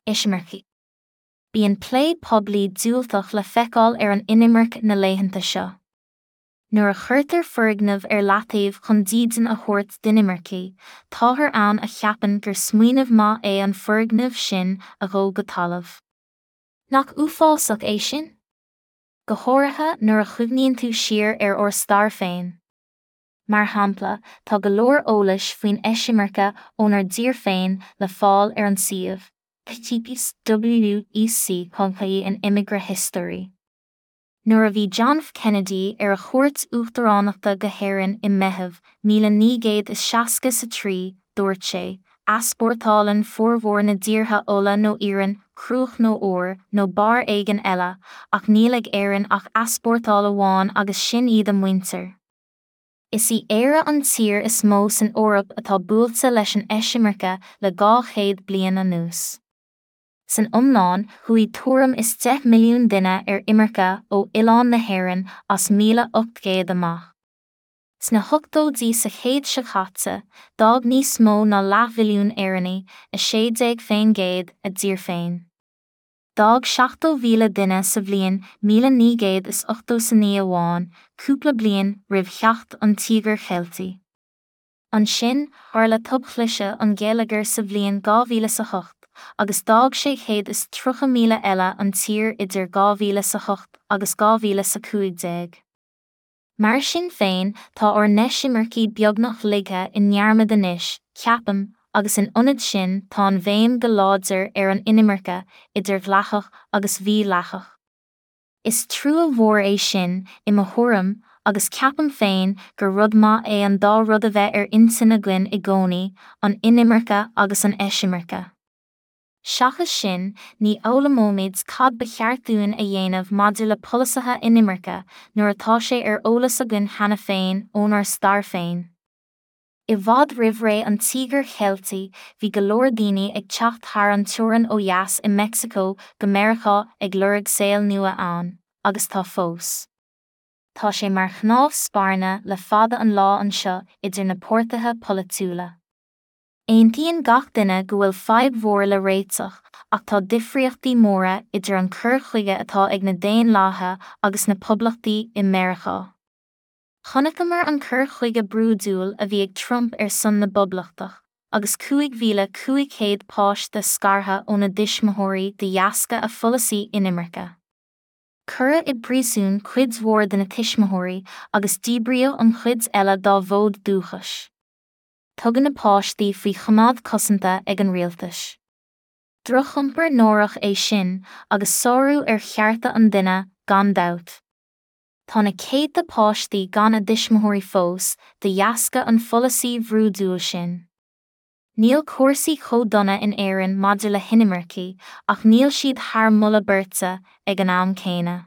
Eisimircigh. Bíonn plé poiblí diúltach le feiceáil ar an inimirce na laethanta seo. Nuair a chuirtear foirgneamh ar leataobh chun dídean a thabhairt d'inimircigh, táthar ann a cheapann gur smaoineamh maith é an foirgneamh sin a dhó go talamh. Nach uafásach é sin? Go háirithe nuair a chuimhníonn tú siar ar ár stair féin. Mar shampla, tá go leor eolais faoin eisimirce ónár dtír féin le fáil ar an suíomh, https wec.ie in immigrant history. Nuair a bhí John F. Kennedy ar a chuairt uachtaránachta go hÉirinn i Meitheamh 1963, dúirt sé, Easpórtálann formhór na dtíortha ola nó iarann, cruach nó ór, nó barr éigin eile, ach níl ag Éirinn ach easpórtáil amháin agus sin iad a muintir. Is í Éire an tír is mó san Eoraip atá buailte leis an eisimirce le 200 bliain anuas. San iomlán, chuaigh tuairim is 10 milliún duine ar imirce ó oileán na hÉireann as 1800 amach. Sna hochtóidí sa chéad seo caite, d'fhág níos mó ná leathmhilliún Éireannaigh, 16%, a dtír féin. D'fhág 70,000 duine sa bhliain 1989 amháin, cúpla bliain roimh theacht an Tíogair Cheiltigh. Ansin, tharla tobchliseadh an gheilleagair sa bhliain 2008, agus d'fhág 630,000 eile an tír idir 2008 agus 2015. Mar sin féin, tá ár n-eisimircigh beagnach ligthe i ndearmad anois, ceapaim, agus in ionad sin tá an bhéim go láidir ar an inimirce, idir dhleathach agus mhídhleathach. Is trua mhór é sin, i mo thuairim, agus ceapaim féin gur rud maith é an dá rud a bheith ar intinn againn i gcónaí, an inimirce agus an eisimirce. Seachas sin, ní fhoghlaimeoimid cad ba cheart dúinn a dhéanamh maidir le polasaithe inimirce nuair atá sé ar eolas againn cheana féin ónár stair féin. I bhfad roimh ré an Tíogair Cheiltigh bhí go leor daoine ag teacht thar an teorainn ó dheas i Meicsiceo go Meiriceá ag lorg saol nua ann, agus tá fós. Tá sé mar chnámh spairne le fada an lá anseo idir na páirtithe polaitiúla. Aontaíonn gach duine go bhfuil fadhb mhór le réiteach ach tá difríochtaí móra idir an cur chuige atá ag na Daonlathaithe agus na Poblachtaigh i Meiriceá. Chonaiceamar an cur chuige brúidiúil a bhí ag Trump ar son na bPoblachtach, agus 5,500 páiste scartha óna dtuismitheoirí de dheasca a pholasaí inimirce. Cuireadh i bpríosún cuid mhór de na tuismitheoirí agus díbríodh an chuid eile dá bhfód dúchais. Tugadh na páistí faoi choimeád cosanta ag an rialtas. Drochiompar náireach é sin agus sárú ar chearta an duine, gan dabht. Tá na céadta páistí gan a dtuismitheoirí fós, de dheasca an pholasaí bhrúidiúil sin. Níl cúrsaí chomh dona in Éirinn maidir le hinimircigh, ach níl siad thar moladh beirte ag an am céanna.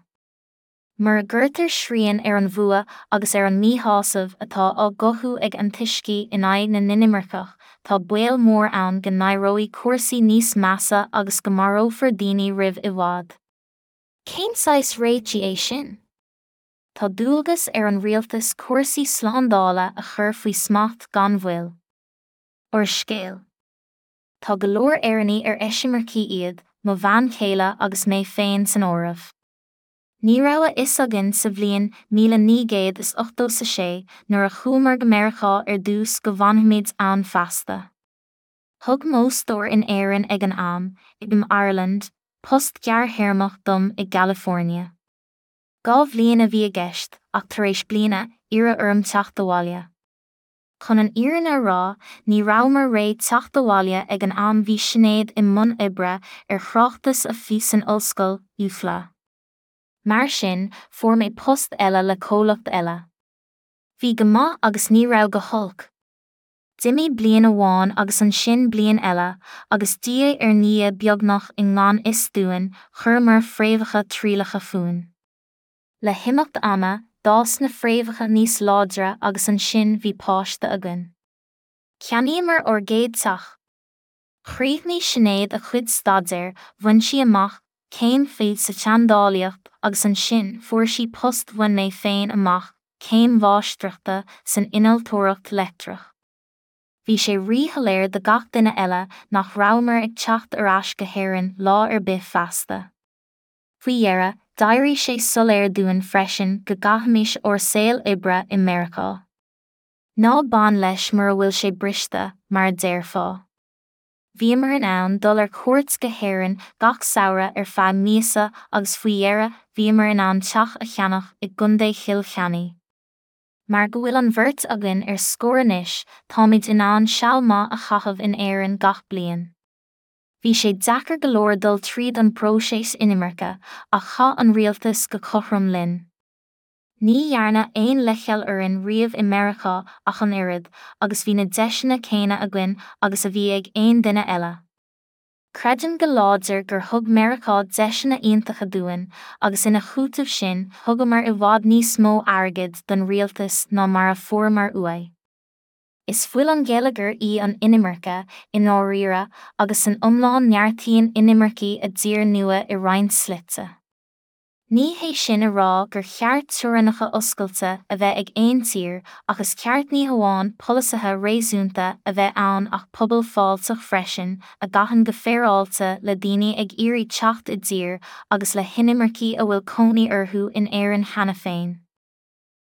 Mura gcuirtear srian ar an bhfuath agus ar an míshásamh atá á gcothú ag antoiscigh in aghaidh na n-inimirceach, tá baol mór ann go n-éireoidh cúrsaí níos measa agus go marófar daoine roimh i bhfad. Cén saghas réitigh é sin? Tá dualgas ar an rialtas cúrsaí slándála a chur faoi smacht gan mhoill. Úrscéal. Tá go leor Éireannaigh ar eisimircigh iad, mo bhean chéile agus mé féin san áireamh. Ní raibh a fhios againn sa bhliain 1986 nuair a chuamar go Meiriceá ar dtús go bhfanfaimid ann feasta. Thug m'fhostóir in Éirinn ag an am, IBM Ireland, post gearrthéarmach dom i gCalifornia. 2 bhliain a bhí i gceist ach tar éis bliana, iarradh orm teacht abhaile. Chun an fhírinne a rá, ní rabhamar réidh teacht abhaile ag an am bhí Sinéad i mbun oibre ar thráchtas a FA san ollscoil, UCLA. Mar sin, fuair mé post eile le comhlacht eile. Bhí go maith agus ní raibh go holc. D'imigh bliain amháin agus ansin bliain eile, agus diaidh ar ndiaidh beagnach i ngan fhios dúinn, chuireamar fréamhacha trialacha fúinn. Le himeacht ama, d'fhás na fréamhacha níos láidre agus ansin bhí páiste againn. Cheannaíomar ár gcéad teach. Chríochnaigh Sinéad a cuid staidéir, bhain sí amach céim FA sa tseandálaíocht agus ansin fuair sí post bhain mé féin amach céim mháistreachta san innealtóireacht leictreach. Bhí sé ríshoiléir do gach duine eile nach rabhamar ag teacht ar ais go hÉirinn lá ar bith feasta. Faoi dheireadh, d'éirigh sé soiléir dúinn freisin go gcaithfimis ár saol oibre i Meiriceá. Ná bain leis mura bhfuil sé briste, mar a déarfá. Bhíomar in ann dul ar cuairt go hÉirinn gach samhradh ar feadh míosa agus faoi dheireadh bhíomar in ann teach a cheannach i gContae Chill Chainnigh. Mar go bhfuil an bheirt againn ar scor anois, táimid in ann seal maith a chaitheamh in Éirinn gach bliain. Bhí sé deacair go leor dul tríd an bpróiseas inimirce, ach chaith an rialtas go cothrom linn. Ní dhearnadh aon leithcheal orainn riamh i Meiriceá ach an oiread, agus bhí na deiseanna céanna againn agus a bhí ag aon duine eile. Creidim go láidir gur thug Meiriceá deiseanna iontacha dúinn, agus ina chúiteamh sin thugamar i bhfad níos mó airgid don rialtas ná mar a fuaireamar uaidh. Is fuil an gheilleagair í an inimirce, i ndáiríre, agus san iomlán neartaíonn inimircigh a dtír nua i roinnt slite. Ní hé sin a rá gur cheart teorainneacha oscailte a bheith ag aon tír ach is ceart ní hamháin polasaithe réasúnta a bheith ann ach pobal fáilteach freisin a gcaitheann go féaráilte le daoine ag iarraidh teacht i dtír agus le hinimircigh a bhfuil cónaí orthu in Éirinn cheana féin.